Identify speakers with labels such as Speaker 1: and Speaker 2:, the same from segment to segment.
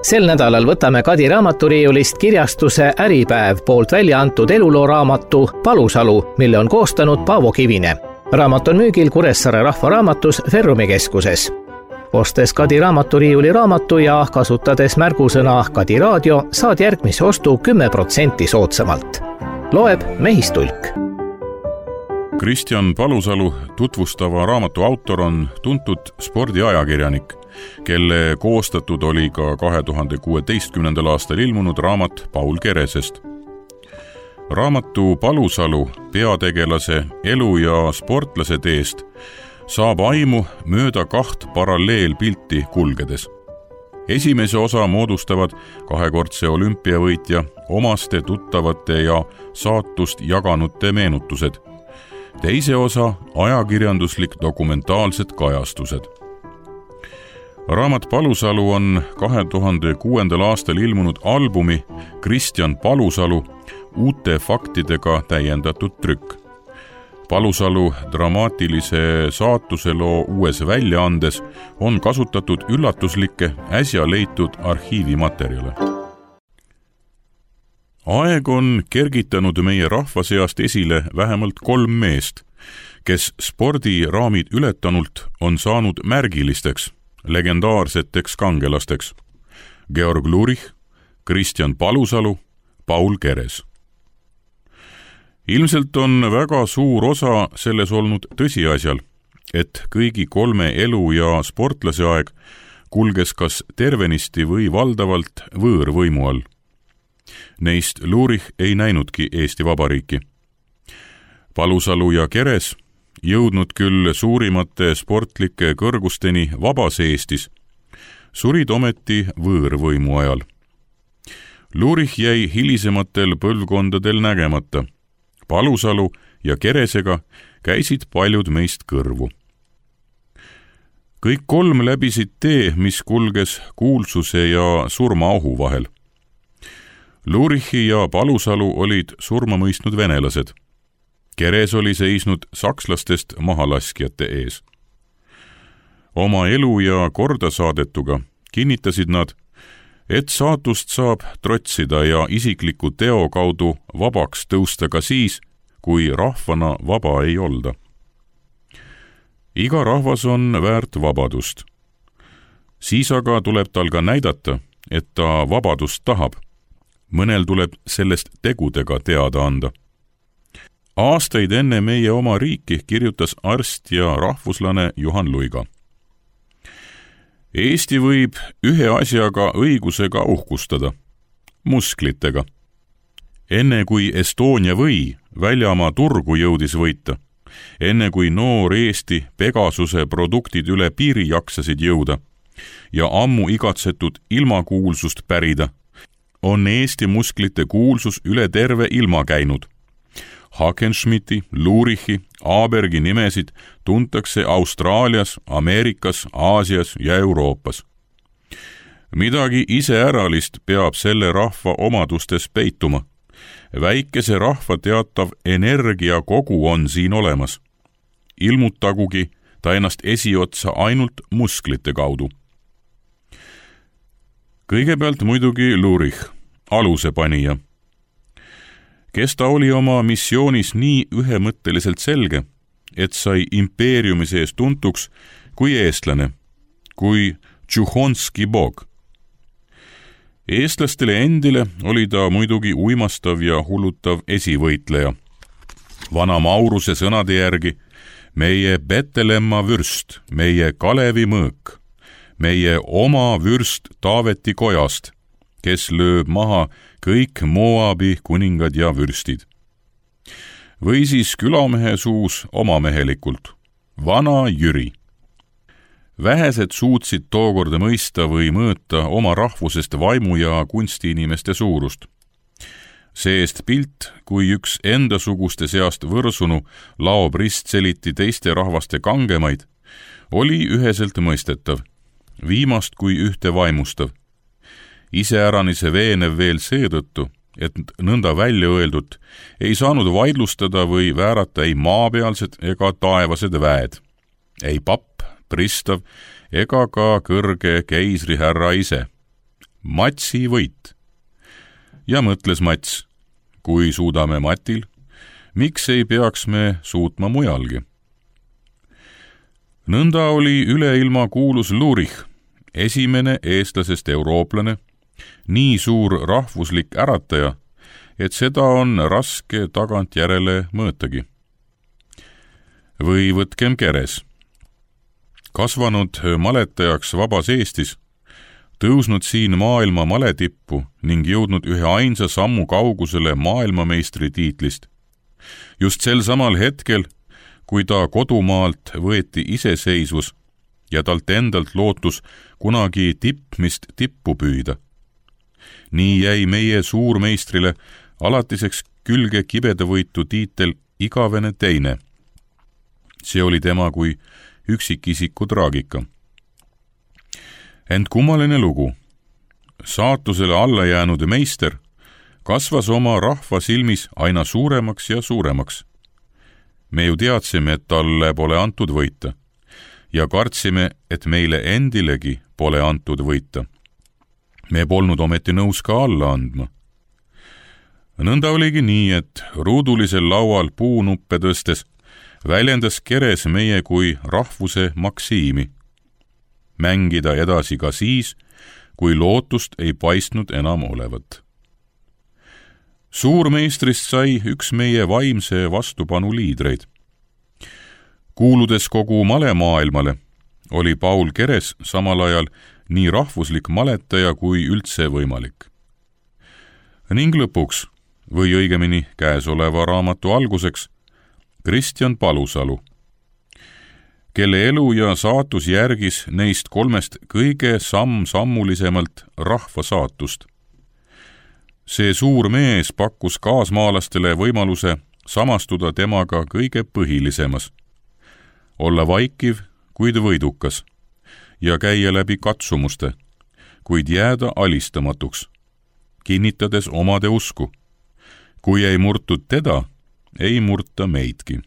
Speaker 1: Sel nädalal võtame Kadi raamaturiiulist kirjastuse Äripäev poolt välja antud elulooraamatu Palusalu, mille on koostanud Paavo Kivine. Raamat on müügil Kuressaare Rahvaraamatus Ferrumi keskuses. Ostes Kadi raamaturiiuli raamatu ja kasutades märgusõna Kadi raadio, saad järgmise ostu 10% soodsamalt. Loeb Mehistulk.
Speaker 2: Kristjan Palusalu tutvustava raamatu autor on tuntud spordiajakirjanik, kelle koostatud oli ka 2016. aastal ilmunud raamat Paul Keresest. Raamatu Palusalu peategelase elu ja sportlase teest saab aimu mööda 2 paralleelpilti kulgedes. Esimese osa moodustavad 2-kordse olümpiavõitja, omaste, tuttavate ja saatust jaganute meenutused. Teise osa ajakirjanduslik dokumentaalsed kajastused. Raamat Palusalu on 2006. aastal ilmunud albumi Kristjan Palusalu uute faktidega täiendatud trükk. Palusalu dramaatilise saatuseloo uues väljaandes on kasutatud üllatuslikke äsja leitud arhiivimaterjale. Aeg on kergitanud meie rahva seast esile vähemalt 3 meest, kes spordiraamid ületanult on saanud märgilisteks, legendaarseteks kangelasteks. Georg Lurich, Kristjan Palusalu, Paul Keres. Ilmselt on väga suur osa selles olnud tõsiasjal, et kõigi 3 elu- ja sportlase aeg kulges kas tervenisti või valdavalt võõrvõimu all. Neist Lurich ei näinudki Eesti Vabariiki. Palusalu ja Keres, jõudnud küll suurimate sportlike kõrgusteni vabas Eestis, surid ometi võõrvõimu ajal. Lurich jäi hilisematel põlvkondadel nägemata. Palusalu ja Keresega käisid paljud meist kõrvu. Kõik 3 läbisid tee, mis kulges kuulsuse ja surmaohu vahel. Lurichi ja Palusalu olid surma mõistnud venelased. Keres oli seisnud sakslastest mahalaskjate ees. Oma elu ja kordasaadetuga kinnitasid nad, et saatust saab trotsida ja isikliku teo kaudu vabaks tõusta ka siis, kui rahvana vaba ei olda. Iga rahvas on väärt vabadust. Siis aga tuleb tal ka näidata, et ta vabadust tahab. Mõnel tuleb sellest tegudega teada anda. Aastaid enne meie oma riiki kirjutas arst ja rahvuslane Juhan Luiga. Eesti võib ühe asjaga õigusega uhkustada, musklitega. Enne kui Estonia või väljamaa turgu jõudis võita, enne kui noor Eesti Pegasuse produktid üle piiri jaksasid jõuda ja ammu igatsetud ilmakuulsust pärida, on Eesti musklite kuulsus üle terve ilma käinud. Hackenschmidti, Lurichi, Abergi nimesid tuntakse Austraalias, Ameerikas, Aasias ja Euroopas. Midagi iseäralist peab selle rahva omadustes peituma. Väikese rahva teatav energia kogu on siin olemas. Ilmutagugi ta ennast esiotsa ainult musklite kaudu. Kõigepealt muidugi Lurich, alusepanija. Kes ta oli oma missioonis nii ühemõtteliselt selge, et sai impeeriumi sees tuntuks kui eestlane, kui Tšuhhonski bog. Eestlastele endile oli ta muidugi uimastav ja hullutav esivõitleja. Vana Mauruse sõnade järgi meie Betelemma vürst, meie Kalevi mõõk, meie oma vürst Taaveti kojast, kes lööb maha kõik Moabi kuningad ja vürstid. Või siis külamehe suus omamehelikult, vana Jüri. Vähesed suutsid tookord mõista või mõõta oma rahvusest vaimu ja kunstiinimeste suurust. See-eest pilt, kui üks endasuguste seast võrsunu laob ristseliti teiste rahvaste kangemaid, oli üheselt mõistetav, viimast kui ühte vaimustav. Iseäranise veenev veel seetõttu, et nõnda välja öeldut ei saanud vaidlustada või väärata ei maapealsed ega taevased väed, ei papp, pristav ega ka kõrge keisrihärra ise. Matsi võit. ja mõtles Mats, kui suudame Matil, miks ei peaks me suutma mujalgi. Nõnda oli üleilma kuulus Lurich, esimene eestlasest eurooplane, nii suur rahvuslik ärataja, et seda on raske tagantjärele mõõtagi. Või võtkem Keres. Kasvanud maletajaks vabas Eestis, tõusnud siin maailma maletippu ning jõudnud ühe ainsa sammu kaugusele maailmameistri tiitlist. Just sel samal hetkel, kui ta kodumaalt võeti iseseisvus ja talt endalt lootus kunagi tippmist tippu püüda. Nii jäi meie suurmeistrile alatiseks külge kibedavõitu tiitel igavene teine. See oli tema kui üksikisiku traagika. Ent kummaline lugu. Saatusele alla jäänud meister kasvas oma rahva silmis aina suuremaks ja suuremaks. Me ju teadsime, et talle pole antud võita ja kartsime, et meile endilegi pole antud võita. Me polnud ometi nõus ka alla andma. Nõnda oligi nii, et ruudulisel laual puunuppe tõstes väljendas Keres meie kui rahvuse maksiimi. Mängida edasi ka siis, kui lootust ei paistnud enam olevat. Suurmeistrist sai üks meie vaimse vastupanu liidreid. Kuuludes kogu malemaailmale, oli Paul Keres samal ajal nii rahvuslik maletaja kui üldse võimalik. Ning lõpuks, või õigemini käesoleva raamatu alguseks, Kristjan Palusalu, kelle elu ja saatus järgis neist kolmest kõige sammulisemalt rahva saatust. See suur mees pakkus kaasmaalastele võimaluse samastuda temaga kõige põhilisemas, olla vaikiv, kuid võidukas, ja käia läbi katsumuste, kuid jääda alistamatuks, kinnitades omade usku. Kui ei murtud teda, ei murta meidki.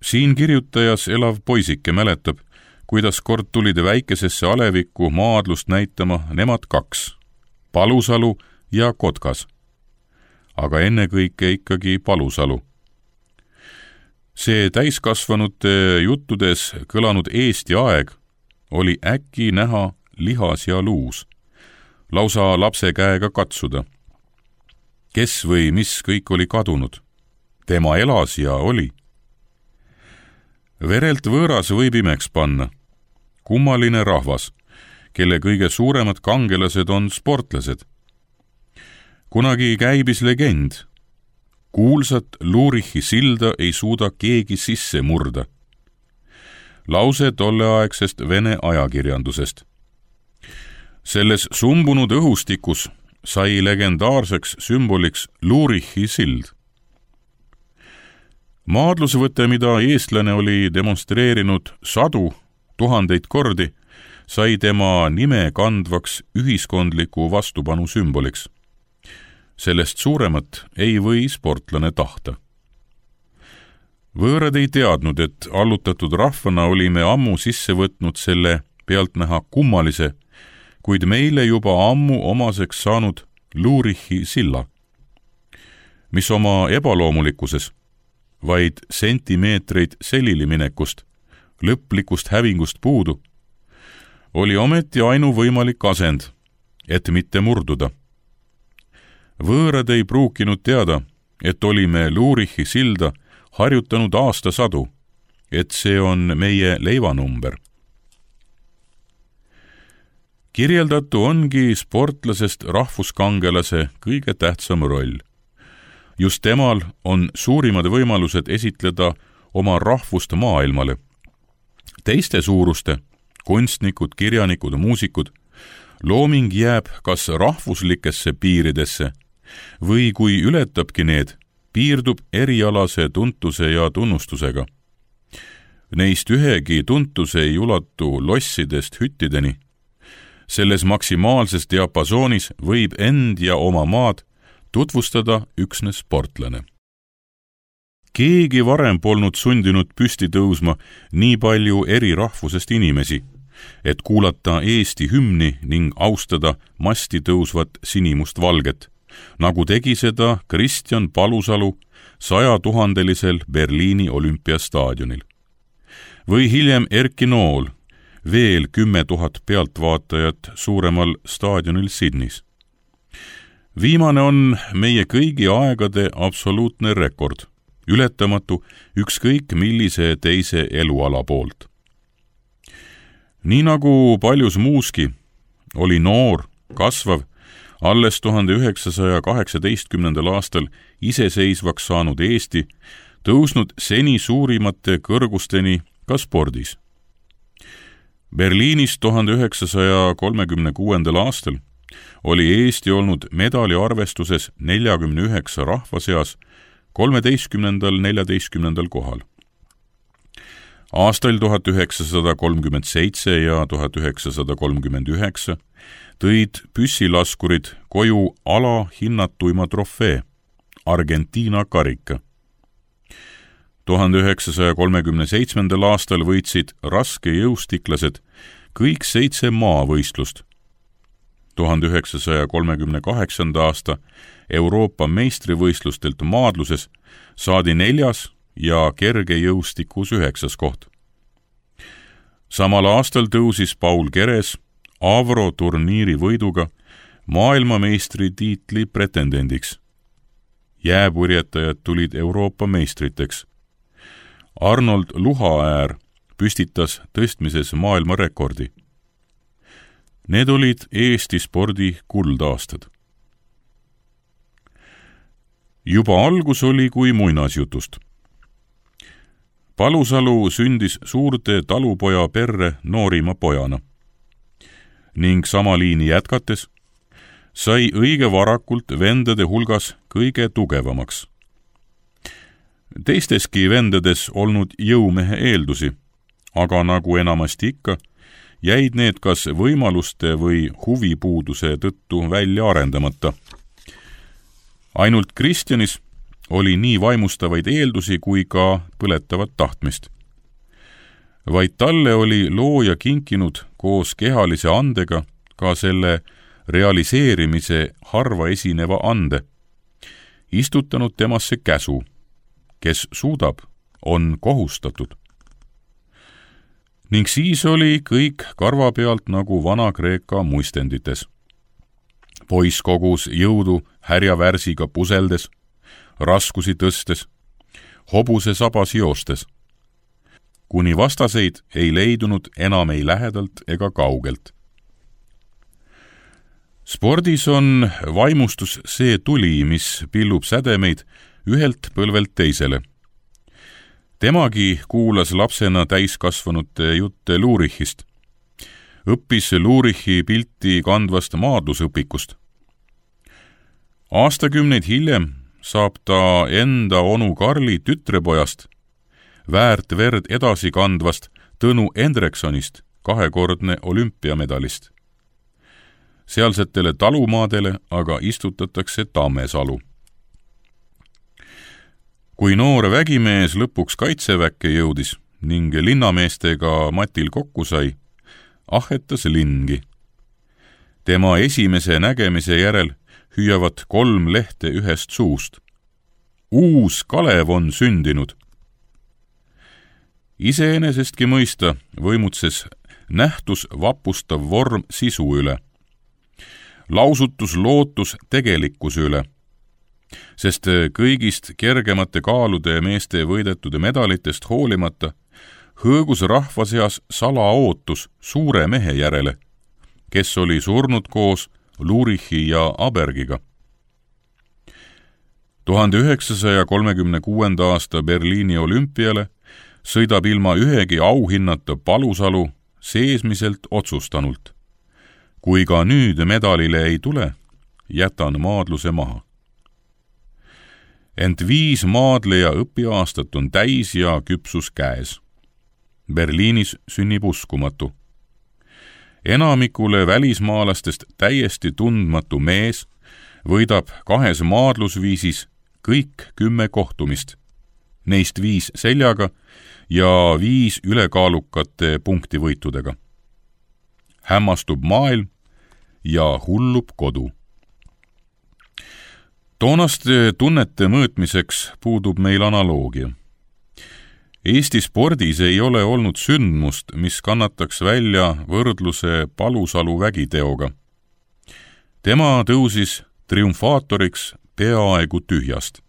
Speaker 2: Siin kirjutajas elav poisike mäletab, kuidas kord tulid väikesesse alevikku maadlust näitama nemad kaks, Palusalu ja Kotkas. Aga ennekõike ikkagi Palusalu. See täiskasvanute juttudes kõlanud Eesti aeg oli äkki näha lihas ja luus, lausa lapse käega katsuda. Kes või mis kõik oli kadunud? Tema elas ja oli. Verelt võõras võib imeks panna. Kummaline rahvas, kelle kõige suuremad kangelased on sportlased. Kunagi käibis legend. Kuulsat Lurichi silda ei suuda keegi sisse murda. Lause tolleaegsest Vene ajakirjandusest. Selles sumbunud õhustikus sai legendaarseks sümboliks Lurichi sild. Maadlusvõte, mida eestlane oli demonstreerinud 100 000 kordi, sai tema nime kandvaks ühiskondliku vastupanu sümboliks. Sellest suuremat ei või sportlane tahta. Võõrad ei teadnud, et allutatud rahvana olime ammu sisse võtnud selle pealtnäha kummalise, kuid meile juba ammu omaseks saanud Lurichi silla, mis oma ebaloomulikkuses, vaid sentimeetreid selili minekust, lõplikust hävingust puudu, oli ometi ainuvõimalik asend, et mitte murduda. Võõrad ei pruukinud teada, et olime Lurichi silda harjutanud aastasadu, et see on meie leivanumber. Kirjeldatu ongi sportlasest rahvuskangelase kõige tähtsam roll. Just temal on suurimad võimalused esitleda oma rahvust maailmale. Teiste suuruste, kunstnikud, kirjanikud, muusikud, looming jääb kas rahvuslikesse piiridesse või kui ületabki need, piirdub erialase tuntuse ja tunnustusega. Neist ühegi tuntuse ei ulatu lossidest hüttideni. Selles maksimaalses diapasoonis võib end ja oma maad tutvustada üksnes sportlane. Keegi varem polnud sundinud püsti tõusma nii palju eri rahvusest inimesi, et kuulata Eesti hümni ning austada masti tõusvat sinimust-valget, nagu tegi seda Kristjan Palusalu 100 000-lisel Berliini olümpiastaadionil. Või hiljem Erki Nool, veel 10 000 pealtvaatajat suuremal staadionil Sydneys. Viimane on meie kõigi aegade absoluutne rekord, ületamatu ükskõik millise teise eluala poolt. Nii nagu paljus muuski, oli noor, kasvav, alles 1918. aastal iseseisvaks saanud Eesti tõusnud seni suurimate kõrgusteni ka spordis. Berliinis 1936. aastal oli Eesti olnud medali arvestuses 49 rahva seas 13.–14. kohal. Aastail 1937 ja 1939 tõid püssilaskurid koju alahinnatuima trofee, Argentiina karika. 1937. aastal võitsid raskejõustiklased kõik 7 maavõistlust. 1938. aasta Euroopa meistrivõistlustelt maadluses saadi 4. ja kergejõustikus 9. koht. Samal aastal tõusis Paul Keres Avro turniiri võiduga maailmameistri tiitli pretendendiks. Jääpurjetajad tulid Euroopa meistriteks. Arnold Luhaäär püstitas tõstmises maailmarekordi. Need olid Eesti spordi kuldaastad. Juba algus oli kui muinasjutust. Palusalu sündis suurde talupoja perre noorima pojana ning sama liini jätkates sai õige varakult vendade hulgas kõige tugevamaks. Teisteski vendades olnud jõumehe eeldusi, aga nagu enamasti ikka, jäid need kas võimaluste või huvipuuduse tõttu välja arendamata. Ainult Kristjanis oli nii vaimustavaid eeldusi kui ka põletavat tahtmist. Vaid talle oli looja kinkinud koos kehalise andega ka selle realiseerimise harva esineva ande, istutanud temasse käsu, kes suudab, on kohustatud. Ning siis oli kõik karva pealt nagu Vana-Kreeka muistendites. Poiss kogus jõudu härjavärsiga puseldes, raskusi tõstes, hobuse sabas joostes, kuni vastaseid ei leidunud enam ei lähedalt ega kaugelt. Spordis on vaimustus see tuli, mis pillub sädemeid ühelt põlvelt teisele. Temagi kuulas lapsena täiskasvanute jutte Lurichist. Õppis Lurichi pilti kandvast maadlusõpikust. Aastakümneid hiljem saab ta enda onu Karli tütrepojast, väärt verd edasi kandvast Tõnu Endreksonist 2-kordne olümpiamedalist. Sealsetele talumaadele aga istutatakse Tammesalu. Kui noor vägimees lõpuks kaitseväkke jõudis ning linnameestega matil kokku sai, ahetas lingi. Tema esimese nägemise järel hüüavad 3 lehte ühest suust. Uus Kalev on sündinud. Iseenesestki mõista võimutses nähtus vapustav vorm sisu üle. Lausutus lootus tegelikkuse üle, sest kõigist kergemate kaalude meeste võidetud medalitest hoolimata hõõgus rahva seas salaootus suure mehe järele, kes oli surnud koos Lurichi ja Abergiga. 1936. aasta Berliini olümpiale sõidab ilma ühegi auhinnata Palusalu seesmiselt otsustanult. Kui ka nüüd medalile ei tule, jätan maadluse maha. Ent 5 maadleja õpiaastat on täis ja küpsus käes. Berliinis sünnib uskumatu. Enamikule välismaalastest täiesti tundmatu mees võidab 2 maadlusviisis kõik 10 kohtumist, neist 5 seljaga ja 5 ülekaalukate punktivõitudega. hämmastub maailm ja hullub kodu. Toonaste tunnete mõõtmiseks puudub meil analoogia. Eesti spordis ei ole olnud sündmust, mis kannataks välja võrdluse Palusalu vägiteoga. Tema tõusis triumfaatoriks peaaegu tühjast.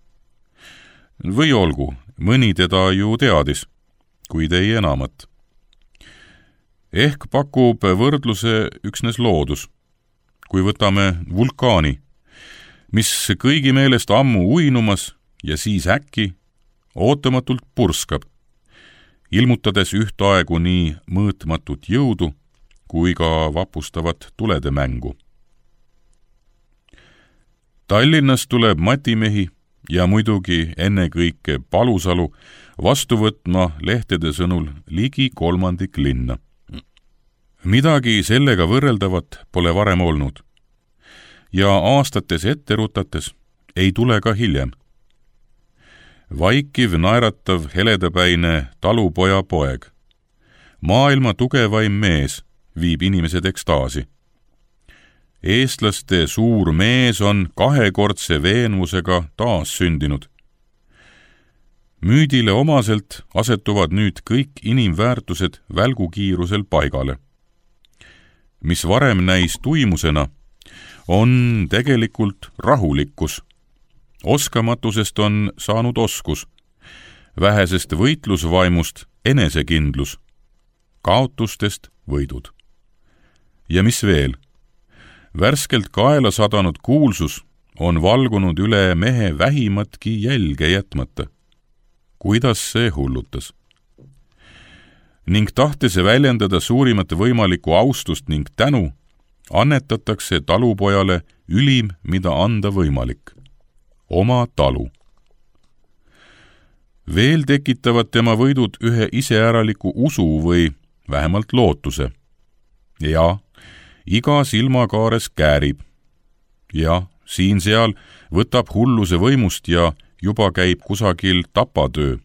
Speaker 2: Või olgu, mõni teda ju teadis, kuid ei enamat. Ehk pakub võrdluse üksnes loodus, kui võtame vulkaani, mis kõigi meelest ammu uinumas ja siis äkki ootamatult purskab, ilmutades ühtaegu nii mõõtmatut jõudu kui ka vapustavat tulede mängu. Tallinnas tuleb matimehi ja muidugi ennekõike Palusalu vastu võtma lehtede sõnul ligi 1/3 linna. Midagi sellega võrreldavat pole varem olnud. Ja aastates ette rutates ei tule ka hiljem. Vaikiv, naeratav, heledapäine talupoja poeg. Maailma tugevaim mees viib inimesed ekstaasi. Eestlaste suur mees on 2-kordse veenvusega taas sündinud. Müüdile omaselt asetuvad nüüd kõik inimväärtused välgukiirusel paigale. Mis varem näis tuimusena, on tegelikult rahulikkus. Oskamatusest on saanud oskus, vähesest võitlusvaimust enesekindlus, kaotustest võidud. Ja mis veel? Värskelt kaela sadanud kuulsus on valgunud üle mehe vähimatki jälge jätmata. Kuidas see hullutas? Ning tahtes väljendada suurimat võimalikku austust ning tänu, annetatakse talupojale ülim, mida anda võimalik. Oma talu. Veel tekitavad tema võidud ühe iseäraliku usu või vähemalt lootuse. Ja iga silmakaares käärib. Ja siin-seal võtab hulluse võimust ja juba käib kusagil tapatöö.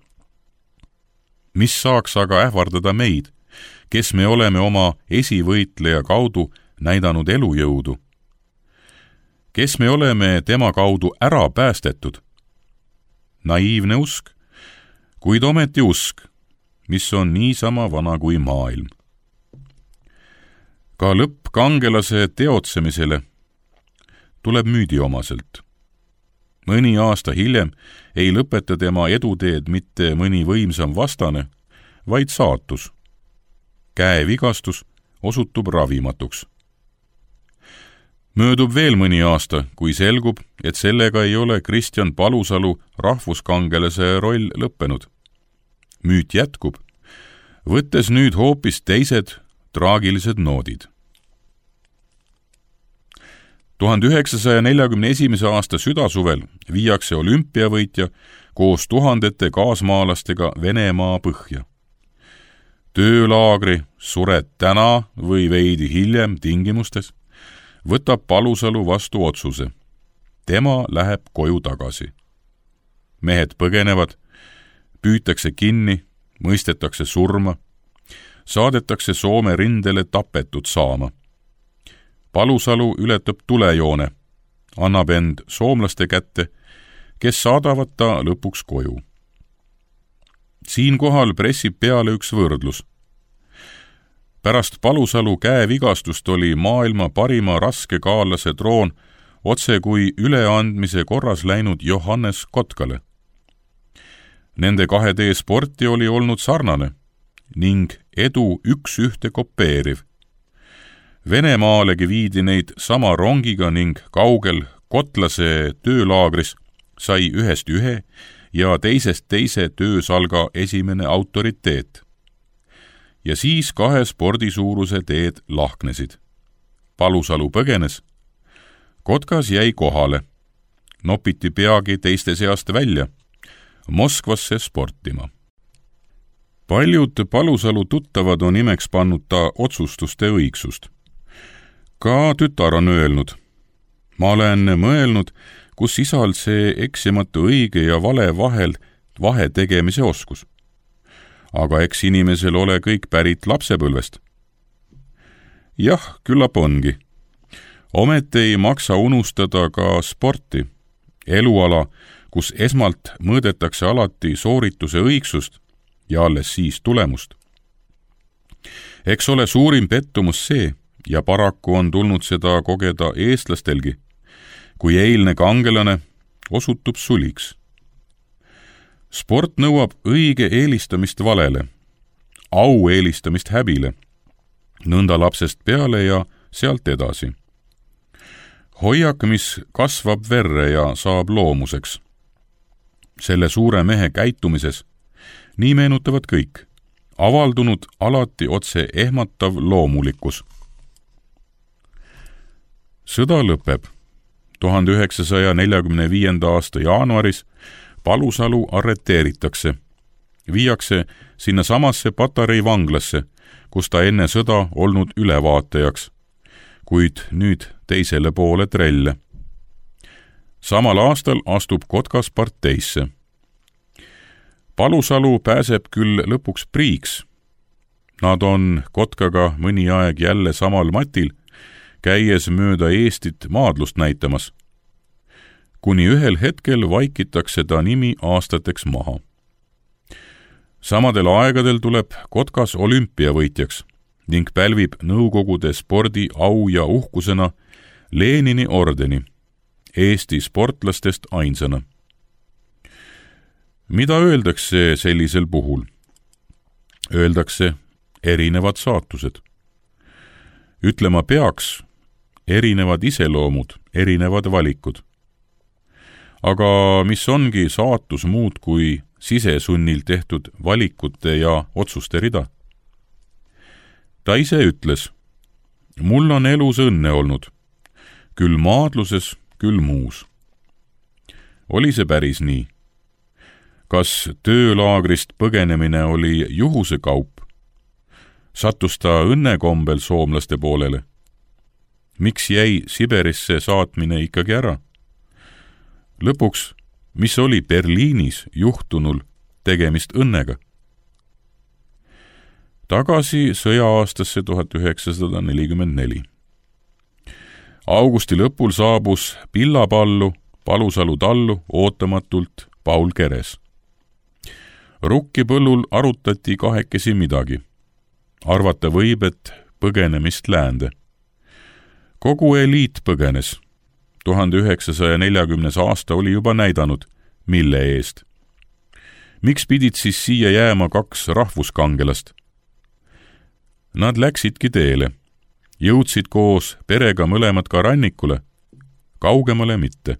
Speaker 2: Mis saaks aga ähvardada meid, kes me oleme oma esivõitleja kaudu näidanud elujõudu? Kes me oleme tema kaudu ära päästetud? Naiivne usk, kuid ometi usk, mis on niisama vana kui maailm. Ka lõpp kangelase teotsemisele tuleb müüdiomaselt. Mõni aasta hiljem ei lõpeta tema eduteed mitte mõni võimsam vastane, vaid saatus. Käevigastus osutub ravimatuks. Möödub veel mõni aasta, kui selgub, et sellega ei ole Kristjan Palusalu rahvuskangelase roll lõppenud. Müüt jätkub, võttes nüüd hoopis teised traagilised noodid. 1941. aasta südasuvel viiakse olümpiavõitja koos tuhandete kaasmaalastega Venemaa põhja. Töölaagri sured täna või veidi hiljem tingimustes võtab Palusalu vastu otsuse. Tema läheb koju tagasi. Mehed põgenevad, püütakse kinni, mõistetakse surma, saadetakse Soome rindele tapetud saama. Palusalu ületab tulejoone, annab end soomlaste kätte, kes saadavad ta lõpuks koju. Siinkohal pressib peale üks võrdlus. Pärast Palusalu käevigastust oli maailma parima raskekaalase troon otse kui üleandmise korras läinud Johannes Kotkale. Nende 2D sporti oli olnud sarnane ning edu üks ühte kopeeriv. Venemaalegi viidi neid sama rongiga ning kaugel Kotlase töölaagris sai ühest ühe ja teisest teise töösalga esimene autoriteet. Ja siis 2 spordisuuruse teed lahknesid. Palusalu põgenes. Kotkas jäi kohale. Nopiti peagi teiste seast välja. Moskvasse sportima. Paljud Palusalu tuttavad on imeks pannud ta otsustuste õigsust. Ka tütar on öelnud. Ma olen mõelnud, kus isal see eksimatu õige ja vale vahel vahe tegemise oskus. Aga eks inimesel ole kõik pärit lapsepõlvest. Jah, küllap ongi. Ometi ei maksa unustada ka sporti, eluala, kus esmalt mõõdetakse alati soorituse õigsust ja alles siis tulemust. Eks ole suurim pettumus see, ja paraku on tulnud seda kogeda eestlastelgi, kui eilne kangelane osutub suliks. Sport nõuab õige eelistamist valele, au eelistamist häbile, nõnda lapsest peale ja sealt edasi. Hoiak, mis kasvab verre ja saab loomuseks. Selle suure mehe käitumises, nii meenutavad kõik, avaldunud alati otse ehmatav loomulikkus. Sõda lõpeb. 1945. aasta jaanuaris Palusalu arreteeritakse. Viiakse sinna samasse Patarei vanglasse, kus ta enne sõda olnud ülevaatajaks, kuid nüüd teisele poole trelle. Samal aastal astub Kotkas parteisse. Palusalu pääseb küll lõpuks priiks. Nad on Kotkaga mõni aeg jälle samal matil, käies mööda Eestit maadlust näitamas. Kuni ühel hetkel vaikitakse ta nimi aastateks maha. Samadel aegadel tuleb Kotkas olümpiavõitjaks ning pälvib Nõukogude spordi au ja uhkusena Lenini ordeni, Eesti sportlastest ainsana. Mida öeldakse sellisel puhul? Öeldakse erinevad saatused. Ütlema peaks erinevad iseloomud, erinevad valikud. Aga mis ongi saatus muud kui sisesunnil tehtud valikute ja otsuste rida? Ta ise ütles, mul on elus õnne olnud, küll maadluses, küll muus. Oli see päris nii? Kas töölaagrist põgenemine oli juhuse kaup? Sattus ta õnnekombel soomlaste poolele? Miks jäi Siberisse saatmine ikkagi ära? Lõpuks, mis oli Berliinis juhtunul tegemist õnnega? Tagasi sõja-aastasse 1944. Augusti lõpul saabus Pillapallu, Palusalu tallu ootamatult Paul Keres. Rukkipõllul arutati kahekesi midagi. Arvata võib, et põgenemist läände. Kogu eliit põgenes. 1940. aasta oli juba näidanud, mille eest. Miks pidid siis siia jääma 2 rahvuskangelast? Nad läksidki teele. Jõudsid koos perega mõlemad ka rannikule. Kaugemale mitte.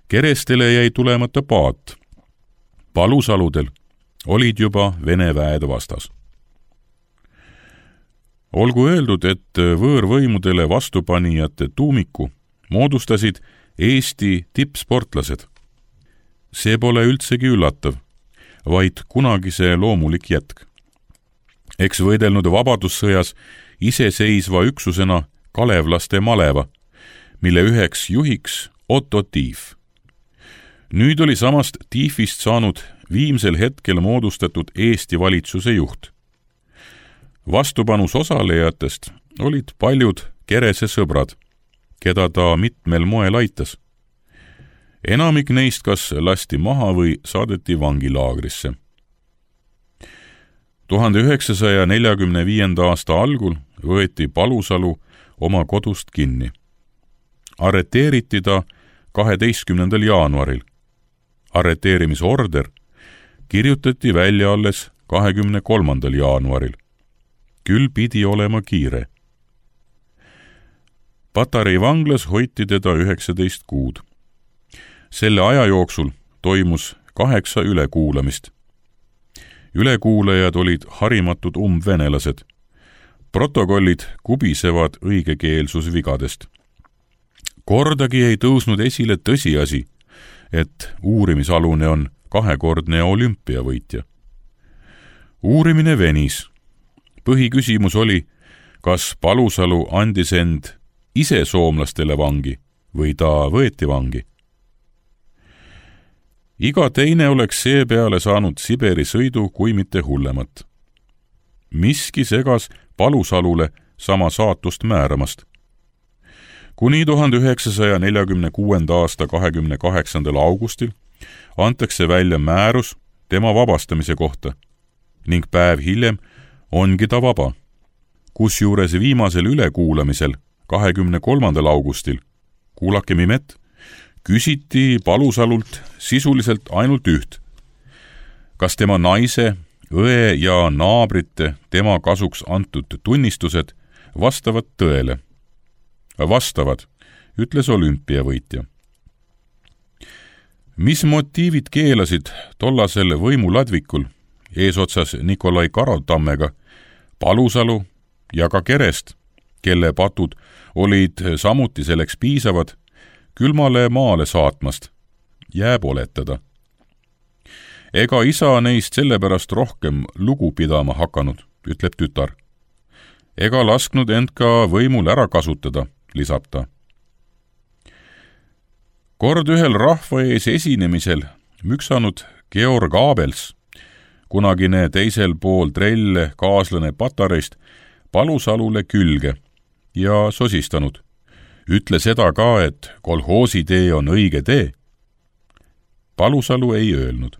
Speaker 2: Kerestele jäi tulemata paat. Palusaludel olid juba Vene väed vastas. Olgu öeldud, et võõrvõimudele vastupanijate tuumiku moodustasid Eesti tippsportlased. See pole üldsegi üllatav, vaid kunagise loomulik jätk. Eks võidelnud vabadussõjas iseseisva üksusena kalevlaste maleva, mille üheks juhiks Otto Tiif. Nüüd oli samast Tiifist saanud viimsel hetkel moodustatud Eesti valitsuse juht. Vastupanus osalejatest olid paljud Kerese sõbrad, keda ta mitmel moel aitas. Enamik neist kas lasti maha või saadeti vangilaagrisse. 1945. aasta algul võeti Palusalu oma kodust kinni. Arreteeriti ta 12. jaanuaril. Arreteerimisorder kirjutati välja alles 23. jaanuaril. Küll pidi olema kiire. Patarei vanglas hoiti teda 19 kuud. Selle aja jooksul toimus 8 ülekuulamist. Ülekuulajad olid harimatud umbvenelased. Protokollid kubisevad õigekeelsusvigadest. Kordagi ei tõusnud esile tõsiasi, et uurimisalune on 2-kordne olümpiavõitja. Uurimine venis. Põhiküsimus oli, kas Palusalu andis end ise soomlastele vangi või ta võeti vangi. Iga teine oleks seepeale saanud Siberi sõidu kui mitte hullemat. Miski segas Palusalule sama saatust määramast. Kuni 1946. aasta 28. augustil antakse välja määrus tema vabastamise kohta ning päev hiljem ongi ta vaba. Kusjuures viimasel ülekuulamisel 23. augustil, kuulakem imet, küsiti Palusalult sisuliselt ainult üht. Kas tema naise, õe ja naabrite tema kasuks antud tunnistused vastavad tõele? Vastavad, ütles olümpiavõitja. Mis motiivid keelasid tollasel võimuladvikul eesotsas Nikolai Karotammega Palusalu ja ka Kerest, kelle patud olid samuti selleks piisavad, külmale maale saatmast, jääb oletada. Ega isa neist sellepärast rohkem lugu pidama hakanud, ütleb tütar. Ega lasknud end ka võimul ära kasutada, lisab ta. Kord ühel rahva ees esinemisel müksanud Georg Abels, kunagine teisel pool trelle kaaslane Patareist, Palusalule külge ja sosistanud. Ütle seda ka, et kolhoosi tee on õige tee. Palusalu ei öelnud.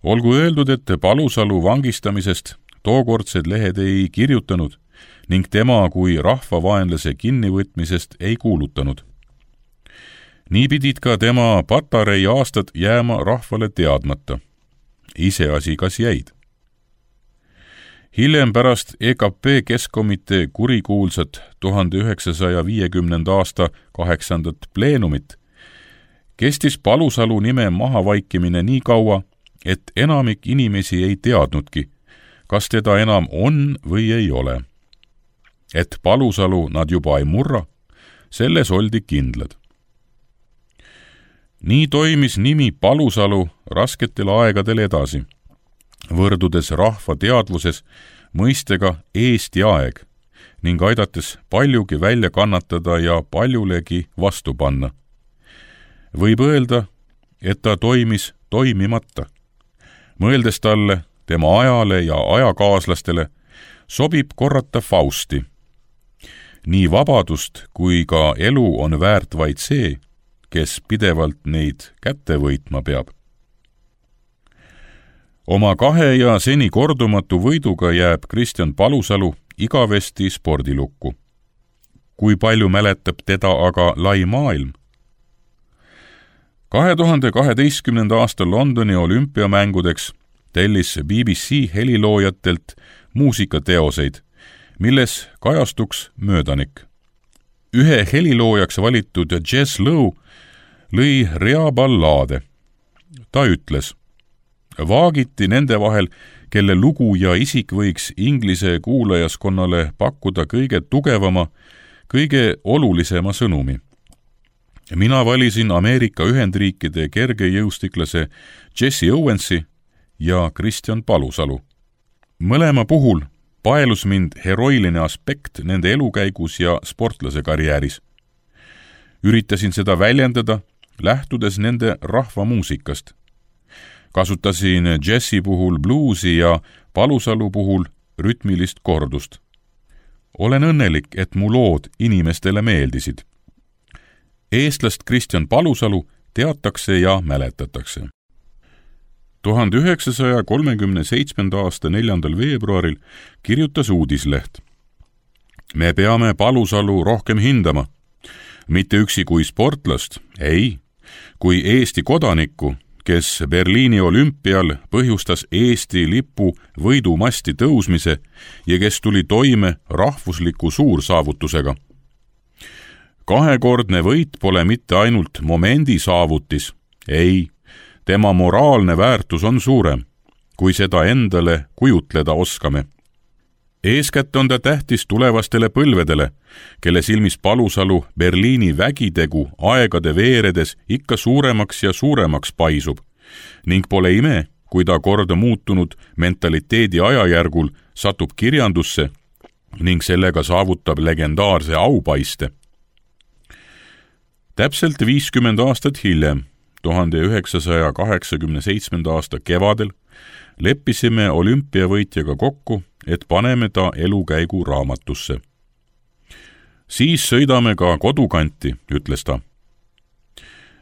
Speaker 2: Olgu öeldud, et Palusalu vangistamisest tookordsed lehed ei kirjutanud ning tema kui rahvavaenlase kinnivõtmisest ei kuulutanud. Nii pidid ka tema Patarei aastad jääma rahvale teadmata. Iseasi kas jäid. Hiljem pärast EKP Keskkomitee kurikuulsat 1950. aasta 8. pleenumit kestis Palusalu nime mahavaikimine nii kaua, et enamik inimesi ei teadnudki, kas teda enam on või ei ole. Et Palusalu nad juba ei murra, selles oldi kindlad. Nii toimis nimi Palusalu rasketel aegadel edasi, võrdudes rahva teadvuses mõistega Eesti aeg ning aidates paljugi välja kannatada ja paljulegi vastu panna. Võib öelda, et ta toimis toimimata. Mõeldes talle, tema ajale ja ajakaaslastele, sobib korrata Fausti. Nii vabadust kui ka elu on väärt vaid see, kes pidevalt neid kätte võitma peab. Oma 2 ja seni kordumatu võiduga jääb Kristjan Palusalu igavesti spordilukku. Kui palju mäletab teda aga lai maailm? 2012. aasta Londoni olümpiamängudeks tellis BBC heliloojatelt muusikateoseid, milles kajastuks möödanik. Ühe heliloojaks valitud Jess Lowe lõi rea ballaade. Ta ütles, vaagiti nende vahel, kelle lugu ja isik võiks Inglise kuulajaskonnale pakkuda kõige tugevama, kõige olulisema sõnumi. Mina valisin Ameerika Ühendriikide kergejõustiklase Jesse Owensi ja Kristjan Palusalu. Mõlema puhul paelus mind heroiline aspekt nende elukäigus ja sportlase karjääris. Üritasin seda väljendada, lähtudes nende rahvamuusikast. Kasutasin Jesse puhul bluusi ja Palusalu puhul rütmilist kordust. Olen õnnelik, et mu lood inimestele meeldisid. Eestlast Kristjan Palusalu teatakse ja mäletatakse. 1937. aasta 4. veebruaril kirjutas uudisleht. Me peame Palusalu rohkem hindama. Mitte üksi kui sportlast, ei, kui Eesti kodanikku, kes Berliini olümpial põhjustas Eesti lipu võidumasti tõusmise ja kes tuli toime rahvusliku suursaavutusega. 2-kordne võit pole mitte ainult momendi saavutis, ei, tema moraalne väärtus on suurem, kui seda endale kujutleda oskame. Eeskätt on ta tähtis tulevastele põlvedele, kelle silmis Palusalu Berliini vägitegu aegade veeredes ikka suuremaks ja suuremaks paisub ning pole ime, kui ta korda muutunud mentaliteedi ajajärgul satub kirjandusse ning sellega saavutab legendaarse aupaiste. Täpselt 50 aastat hiljem, 1987. aasta kevadel, leppisime olümpiavõitjaga kokku, et paneme ta elukäigu raamatusse. Siis sõidame ka kodukanti, ütles ta.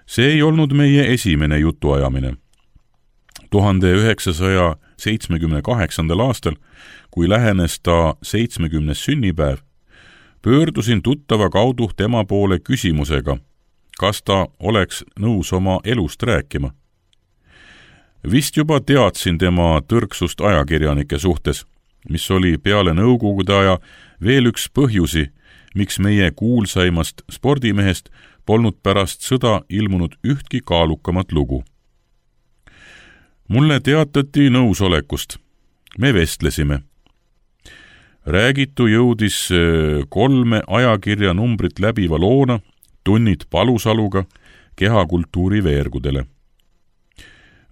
Speaker 2: See ei olnud meie esimene jutuajamine. 1978. aastal, kui lähenes ta 70. sünnipäev, pöördusin tuttava kaudu tema poole küsimusega, kas ta oleks nõus oma elust rääkima. Vist juba teadsin tema tõrksust ajakirjanike suhtes, mis oli peale nõukogude aja veel üks põhjusi, miks meie kuulsaimast spordimehest polnud pärast sõda ilmunud ühtki kaalukamat lugu. Mulle teatati nõusolekust. Me vestlesime. Räägitu jõudis 3 ajakirja numbrit läbiva loona Tunnid Palusaluga kehakultuuri veergudele.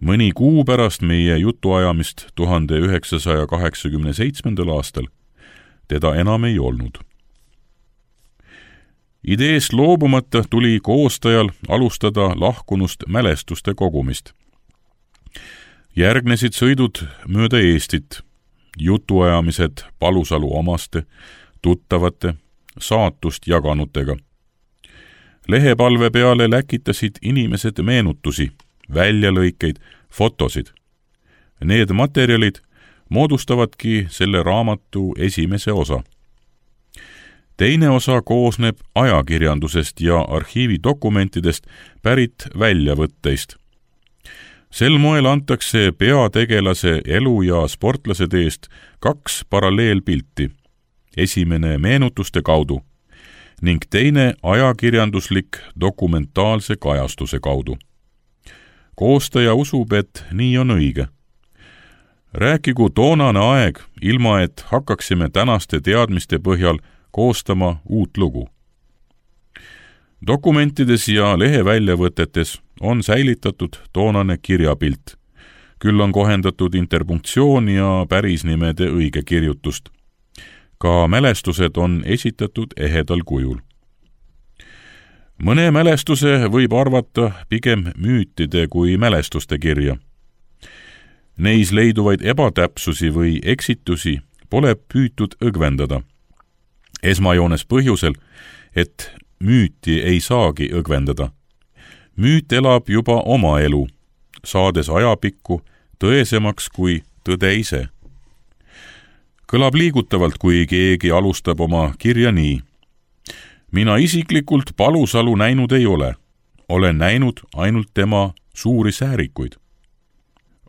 Speaker 2: Mõni kuu pärast meie jutuajamist 1987. aastal teda enam ei olnud. Ideest loobumata tuli koostajal alustada lahkunust mälestuste kogumist. Järgnesid sõidud mööda Eestit, jutuajamised Palusalu omaste, tuttavate, saatust jaganutega. Lehepalve peale läkitasid inimesed meenutusi, väljalõikeid, fotosid. Need materjalid moodustavadki selle raamatu esimese osa. Teine osa koosneb ajakirjandusest ja arhiividokumentidest pärit väljavõtteist. Sel moel antakse peategelase elu ja sportlase teest 2 paralleelpilti. Esimene meenutuste kaudu ning teine ajakirjanduslik dokumentaalse kajastuse kaudu. Koostaja usub, et nii on õige. Rääkigu toonane aeg, ilma et hakkaksime tänaste teadmiste põhjal koostama uut lugu. Dokumentides ja leheväljavõtetes on säilitatud toonane kirjapilt. Küll on kohendatud interpunktsioon ja pärisnimede õige kirjutust. Ka mälestused on esitatud ehedal kujul. Mõne mälestuse võib arvata pigem müütide kui mälestuste kirja. Neis leiduvaid ebatäpsusi või eksitusi pole püütud õgvendada. Esmajoones põhjusel, et müüti ei saagi õgvendada. Müüt elab juba oma elu, saades ajapikku tõesemaks kui tõde ise. Kõlab liigutavalt, kui keegi alustab oma kirja nii. Mina isiklikult Palusalu näinud ei ole. Olen näinud ainult tema suuri säärikuid.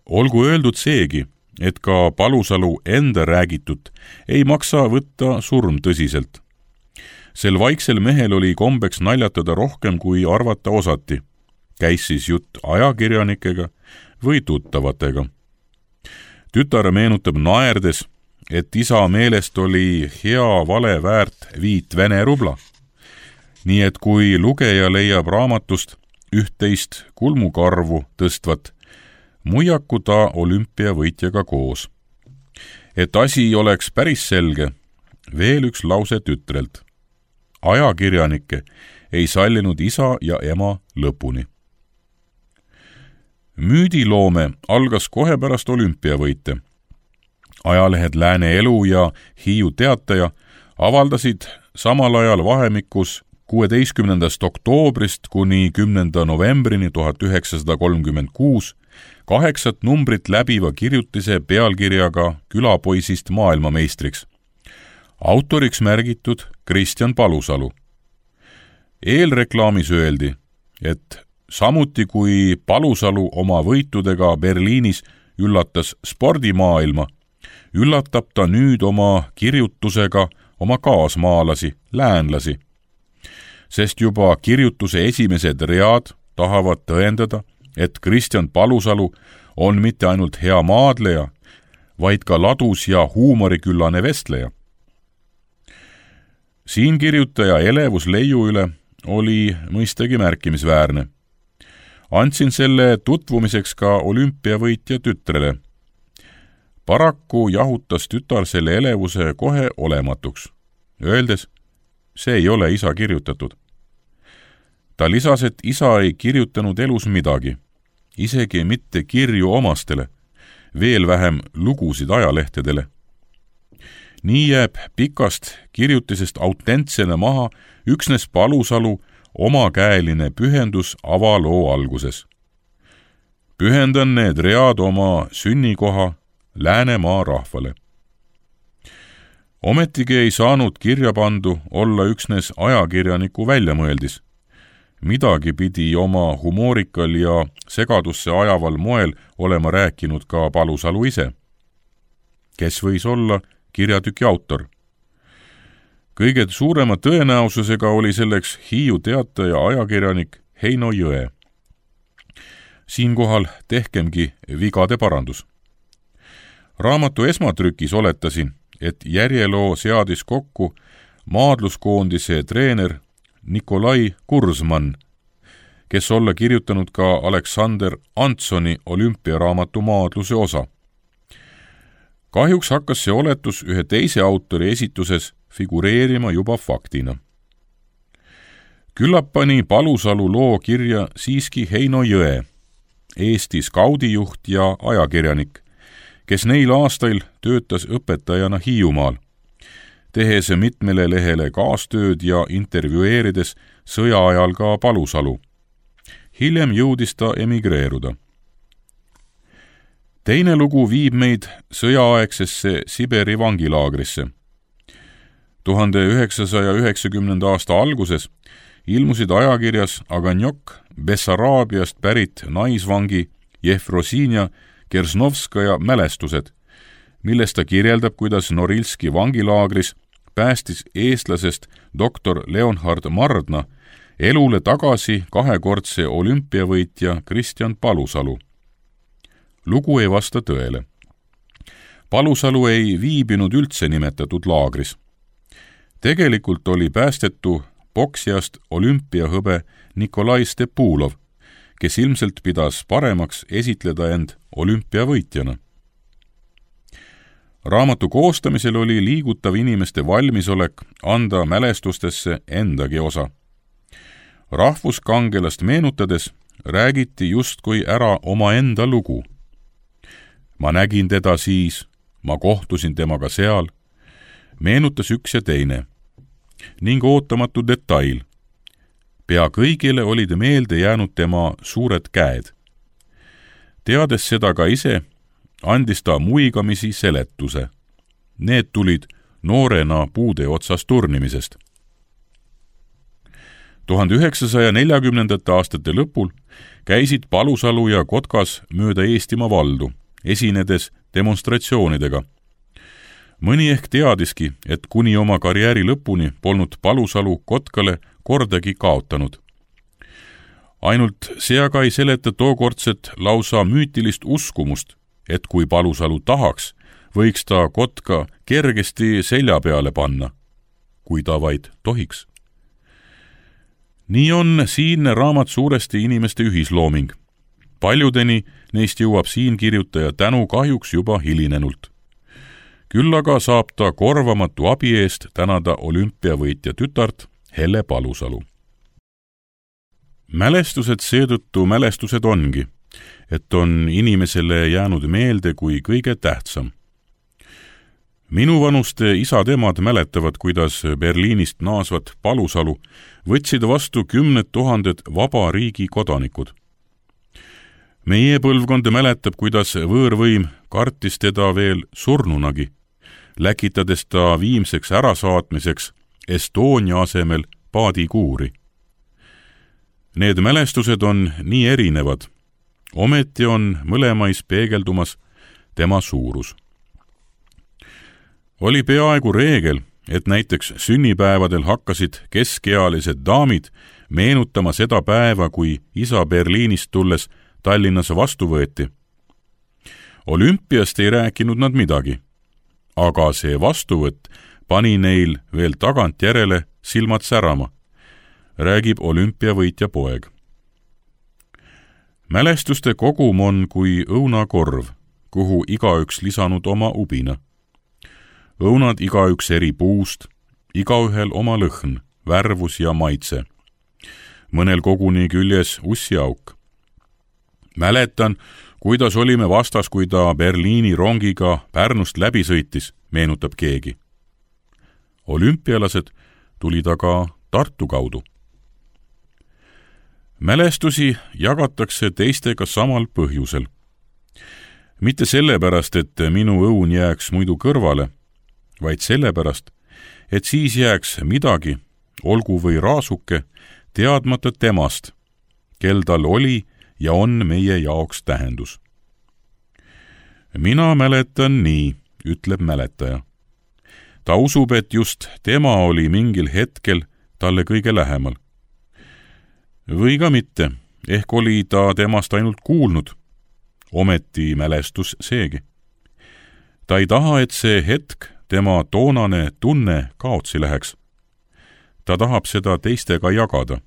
Speaker 2: Olgu öeldud seegi, et ka Palusalu enda räägitut ei maksa võtta surmtõsiselt. Sel vaiksel mehel oli kombeks naljatada rohkem, kui arvata osati. Käis siis jutt ajakirjanikega või tuttavatega. Tütar meenutab naerdes, et isa meelest oli hea vale väärt 5 Vene rubla. Nii et kui lugeja leiab raamatust 11 kulmukarvu tõstvat, muiaku ta olümpiavõitjaga koos. Et asi oleks päris selge, veel üks lause tütrelt. Ajakirjanikke ei sallinud isa ja ema lõpuni. Müüdiloome algas kohe pärast olümpiavõite. Ajalehed Lääne Elu ja Hiiu Teataja avaldasid samal ajal vahemikus 16. oktoobrist kuni 10. novembrini 1936 8 numbrit läbiva kirjutise pealkirjaga Külapoisist maailmameistriks. Autoriks märgitud Kristjan Palusalu. Eelreklaamis öeldi, et samuti kui Palusalu oma võitudega Berliinis üllatas spordimaailma, üllatab ta nüüd oma kirjutusega oma kaasmaalasi, läänlasi. Sest juba kirjutuse esimesed read tahavad tõendada, et Kristjan Palusalu on mitte ainult hea maadleja, vaid ka ladus ja huumoriküllane vestleja. Siin kirjutaja elevus leiu üle oli mõistagi märkimisväärne. Andsin selle tutvumiseks ka olümpiavõitja tütrele. Paraku jahutas tütar selle elevuse kohe olematuks, öeldes, see ei ole isa kirjutatud. Ta lisas, et isa ei kirjutanud elus midagi, isegi mitte kirju omastele, veel vähem lugusid ajalehtedele. Nii jääb pikast kirjutisest autentsena maha üksnes Palusalu omakäeline pühendus avaloo alguses. Pühendan need read oma sünnikoha Läänemaa rahvale. Ometigi ei saanud kirja pandu olla üksnes ajakirjaniku väljamõeldis. Midagi pidi oma humoorikal ja segadusse ajaval moel olema rääkinud ka Palusalu ise. Kes võis olla kirjatüki autor? Kõige suurema tõenäosusega oli selleks Hiiu Teataja ajakirjanik Heino Jõe. Siinkohal tehkemgi vigade parandus. Raamatu esmatrükis oletasin, et järjeloo seadis kokku maadluskoondise treener Nikolai Kurzman, kes olla kirjutanud ka Aleksander Antsoni olümpiaraamatu maadluse osa. Kahjuks hakkas see oletus ühe teise autori esituses figureerima juba faktina. Küllap pani Palusalu loo kirja siiski Heino Jõe, Eesti skaudijuht ja ajakirjanik, kes neil aastail töötas õpetajana Hiiumaal, tehes mitmele lehele kaastööd ja intervjueerides sõja ajal ka Palusalu. Hiljem jõudis ta emigreeruda. Teine lugu viib meid sõjaaegsesse Siberi vangilaagrisse. 1990. aasta alguses ilmusid ajakirjas Aganjok Bessaraabiast pärit naisvangi Jefrosinia Kersnovskaja mälestused, milles ta kirjeldab, kuidas Norilski vangilaagris päästis eestlasest doktor Leonhard Mardna elule tagasi kahekordse olümpiavõitja Kristjan Palusalu. Lugu ei vasta tõele. Palusalu ei viibinud üldse nimetatud laagris. Tegelikult oli päästetu poksijast olümpiahõbe Nikolai Stepulov, kes ilmselt pidas paremaks esitleda end olümpiavõitjana. Raamatu koostamisel oli liigutav inimeste valmisolek anda mälestustesse endagi osa. Rahvuskangelast meenutades räägiti justkui ära omaenda lugu. Ma nägin teda siis, ma kohtusin temaga seal, meenutas üks ja teine. Ning ootamatu detail. Pea kõigile olid meelde jäänud tema suured käed. Teades seda ka ise, andis ta muigamisi seletuse. Need tulid noorena puude otsas turnimisest. 1940. aastate lõpul käisid Palusalu ja Kotkas mööda Eestimaa valdu, esinedes demonstratsioonidega. Mõni ehk teadiski, et kuni oma karjääri lõpuni polnud Palusalu Kotkale kordagi kaotanud. Ainult see aga ei seleta tookordset lausa müütilist uskumust, et kui Palusalu tahaks, võiks ta Kotka kergesti selja peale panna, kui ta vaid tohiks. Nii on siinne raamat suuresti inimeste ühislooming. Paljudeni neist jõuab siin kirjutaja tänu kahjuks juba hilinenult. Küll aga saab ta korvamatu abi eest tänada olümpiavõitja tütart Helle Palusalu. Mälestused seetõttu mälestused ongi, et on inimesele jäänud meelde kui kõige tähtsam. Minuvanuste isad-emad mäletavad, kuidas Berliinist naasvat Palusalu võtsid vastu 10 000 vaba riigi kodanikud. Meie põlvkond mäletab, kuidas võõrvõim kartis teda veel surnunagi, läkitades ta viimseks ärasaatmiseks Estonia asemel paadikuuri. Need mälestused on nii erinevad, ometi on mõlemais peegeldumas tema suurus. Oli peaaegu reegel, et näiteks sünnipäevadel hakkasid keskealised daamid meenutama seda päeva, kui isa Berliinist tulles Tallinnas vastu võeti. Olümpiast ei rääkinud nad midagi, aga see vastuvõtt pani neil veel tagantjärele silmad särama, räägib olümpiavõitja poeg. Mälestuste kogum on kui õunakorv, kuhu igaüks lisanud oma ubina. Õunad igaüks eri puust, igaühel oma lõhn, värvus ja maitse. Mõnel koguni küljes ussiauk. Mäletan, kuidas olime vastas, kui ta Berliini rongiga Pärnust läbi sõitis, meenutab keegi. olümpialased tulid aga Tartu kaudu. Mälestusi jagatakse teistega samal põhjusel. Mitte sellepärast, et minu õun jääks muidu kõrvale, vaid sellepärast, et siis jääks midagi, olgu või raasuke, teadmata temast, kel tal oli ja on meie jaoks tähendus. Mina mäletan nii, ütleb mäletaja. Ta usub, et just tema oli mingil hetkel talle kõige lähemal. Või ka mitte, ehk oli ta temast ainult kuulnud, ometi mälestus seegi. Ta ei taha, et see hetk, tema toonane tunne kaotsi läheks. Ta tahab seda teistega jagada.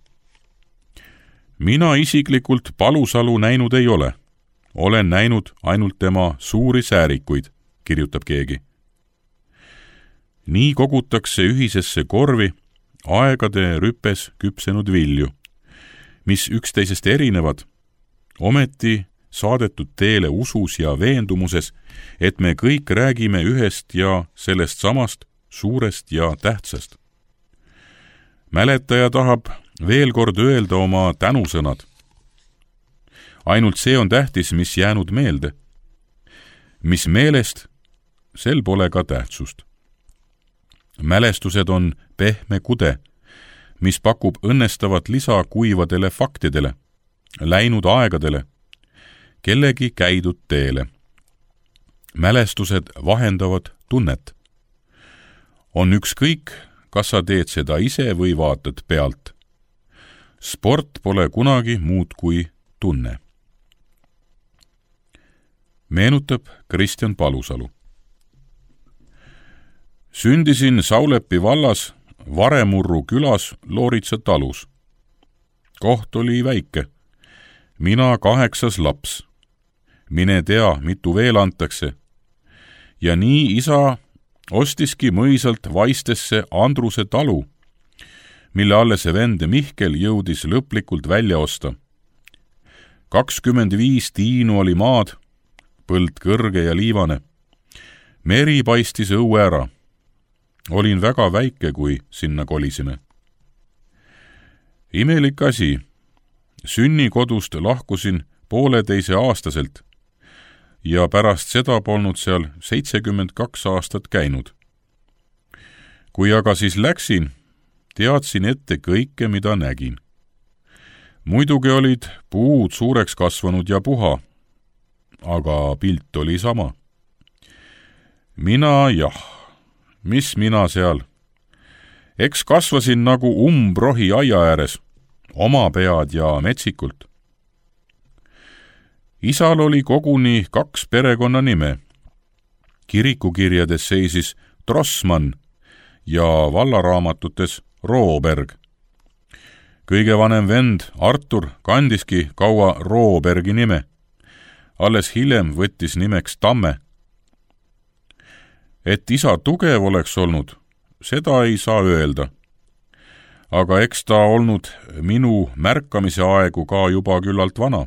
Speaker 2: Mina isiklikult Palusalu näinud ei ole. Olen näinud ainult tema suuri säärikuid, kirjutab keegi. Nii kogutakse ühisesse korvi aegade rüpes küpsenud vilju, mis üksteisest erinevad, ometi saadetud teele usus ja veendumuses, et me kõik räägime ühest ja sellest samast suurest ja tähtsast. Mäletaja tahab veel kord öelda oma tänusõnad. Ainult see on tähtis, mis jäänud meelde. Mis meelest, sel pole ka tähtsust. Mälestused on pehme kude, mis pakub õnnestavat lisa kuivadele faktidele, läinud aegadele, kellegi käidud teele. Mälestused vahendavad tunnet. On ükskõik, kas sa teed seda ise või vaatad pealt. Sport pole kunagi muud kui tunne. Meenutab Kristjan Palusalu. Sündisin Saulepi vallas Varemurru külas Looritsa talus. Koht oli väike. Mina 8. laps. Mine tea, mitu veel antakse. Ja nii isa ostiski mõisalt Vaistesse Andruse talu, mille alles vend Mihkel jõudis lõplikult välja osta. 25 tiinu oli maad, põld kõrge ja liivane. Meri paistis õue ära. Olin väga väike, kui sinna kolisime. Imelik asi. Sünnikodust lahkusin 1,5-aastaselt ja pärast seda polnud seal 72 aastat käinud. Kui aga siis läksin, teadsin ette kõike, mida nägin. Muidugi olid puud suureks kasvanud ja puha, aga pilt oli sama. Mina mis mina seal? Eks kasvasin nagu umbrohi aia ääres, oma pead ja metsikult. Isal oli koguni 2 perekonnanime. Kirikukirjades seisis Trossmann ja vallaraamatutes Rooberg. Kõige vanem vend Artur kandiski kaua Roobergi nime. Alles hiljem võttis nimeks Tamme. Et isa tugev oleks olnud, seda ei saa öelda. Aga eks ta olnud minu märkamise aegu ka juba küllalt vana.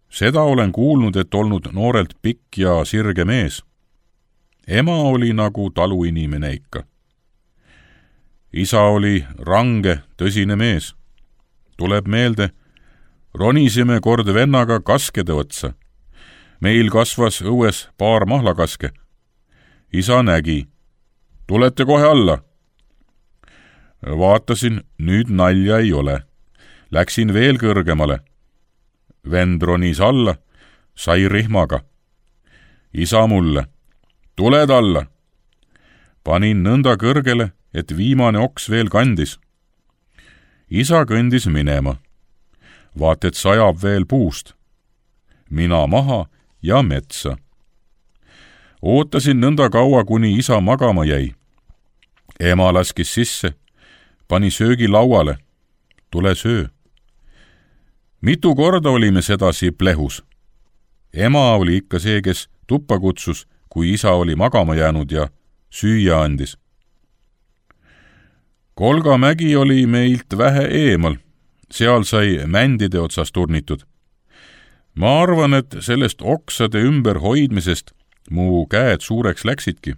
Speaker 2: Seda olen kuulnud, et olnud noorelt pikk ja sirge mees. Ema oli nagu taluinimene ikka. Isa oli range, tõsine mees. Tuleb meelde, ronisime kord vennaga kaskede otsa. Meil kasvas õues paar mahlakaske. Isa nägi. Tulete kohe alla. Vaatasin, nüüd nalja ei ole. Läksin veel kõrgemale. Vend ronis alla, sai rihmaga. Isa mulle. Tuled alla. Panin nõnda kõrgele, et viimane oks veel kandis. Isa kõndis minema. Vaat, et sajab veel puust. Mina maha ja metsa. Ootasin nõnda kaua, kuni isa magama jäi. Ema laskis sisse, pani söögi lauale. Tule söö. Mitu korda olime sedasi plehus. Ema oli ikka see, kes tuppa kutsus, kui isa oli magama jäänud ja süüa andis. Kolga mägi oli meilt vähe eemal. Seal sai mändide otsas turnitud. Ma arvan, et sellest oksade ümber hoidmisest mu käed suureks läksidki.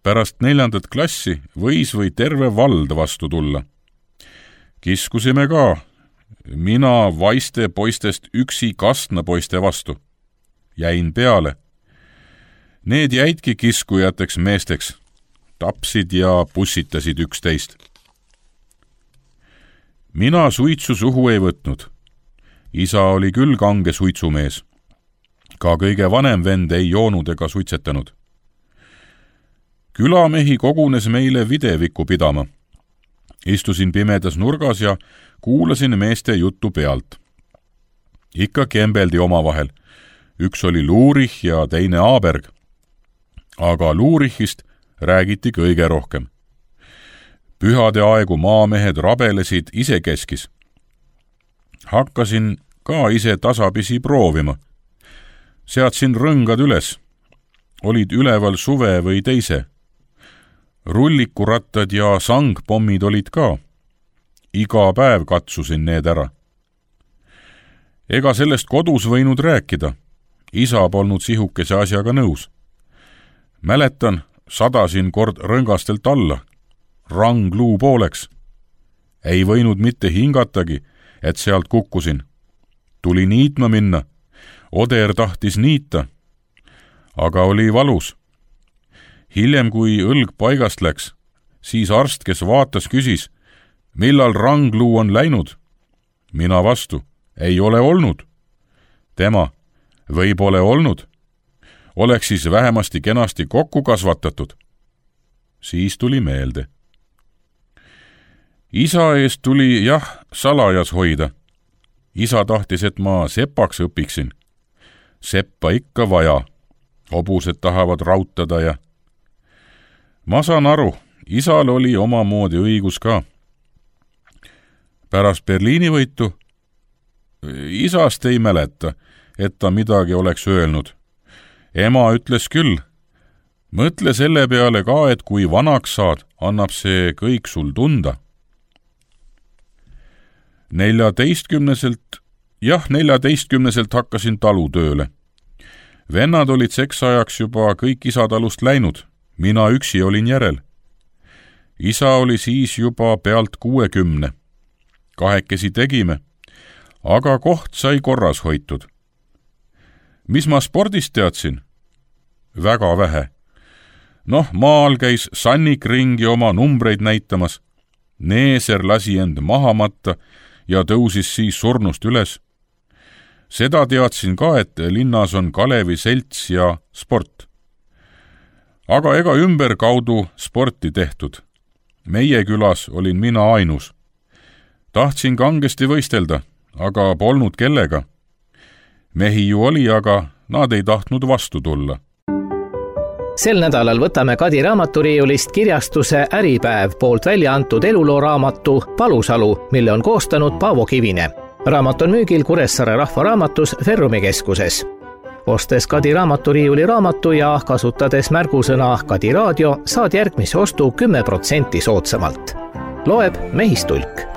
Speaker 2: pärast 4. klassi võis või terve vald vastu tulla. Kiskusime ka, mina vaiste poistest üksi Kastna poiste vastu. Jäin peale. Need jäidki kiskujateks meesteks, tapsid ja pussitasid üksteist. Mina suitsu suhu ei võtnud. Isa oli küll kange suitsumees. Ka kõige vanem vend ei joonud ega suitsetanud. Külamehi kogunes meile videvikku pidama. Istusin pimedas nurgas ja kuulasin meeste juttu pealt. Ikka kembeldi omavahel. Üks oli Luurich ja teine Aaberg. Aga Luurichist räägiti kõige rohkem. Pühade aegu maamehed rabelesid isekeskis. Hakkasin ka ise tasapisi proovima. Seadsin rõngad üles. Olid üleval suve või teise. Rullikurattad ja sangpommid olid ka. Iga päev katsusin need ära. Ega sellest kodus võinud rääkida. Isa polnud sihukese asjaga nõus. Mäletan, sadasin kord rõngastelt alla. Rang luu pooleks. Ei võinud mitte hingatagi, et sealt kukkusin. Tuli niitma minna. Oder tahtis niita. Aga oli valus. Hiljem, kui õlg paigast läks, siis arst, kes vaatas, küsis, millal rangluu on läinud? Mina vastu, ei ole olnud. Tema, võib ole olnud. Oleks siis vähemasti kenasti kokku kasvatatud. Siis tuli meelde. Isa eest tuli salajas hoida. Isa tahtis, et ma sepaks õpiksin. Seppa ikka vaja. Hobused tahavad rautada ja... Ma saan aru, isal oli omamoodi õigus ka. Pärast Berliini võitu isast ei mäleta, et ta midagi oleks öelnud. Ema ütles küll, mõtle selle peale ka, et kui vanaks saad, annab see kõik sul tunda. 14-selt hakkasin talutööle. Vennad olid seksajaks juba kõik isatalust läinud. Mina üksi olin järel. Isa oli siis juba pealt 60. Kahekesi tegime, aga koht sai korras hoitud. Mis ma spordist teadsin? Väga vähe. Maal käis Sannik ringi oma numbreid näitamas. Neeser lasi end maha matta ja tõusis siis surnust üles. Seda teadsin ka, et linnas on Kalevi selts ja sport. Aga ega ümberkaudu sporti tehtud. Meie külas olin mina ainus. Tahtsin kangesti võistelda, aga polnud kellega. Mehi ju oli, aga nad ei tahtnud vastu tulla.
Speaker 1: Sel nädalal võtame Kadi raamaturiiulist kirjastuse Äripäev poolt välja antud elulooraamatu Palusalu, mille on koostanud Paavo Kivine. Raamat on müügil Kuressaare Rahvaraamatus Ferrumi keskuses. Ostes Kadi raamaturiiuli raamatu ja kasutades märgusõna Kadi raadio, saad järgmise ostu 10% soodsamalt. Loeb Mehistulk.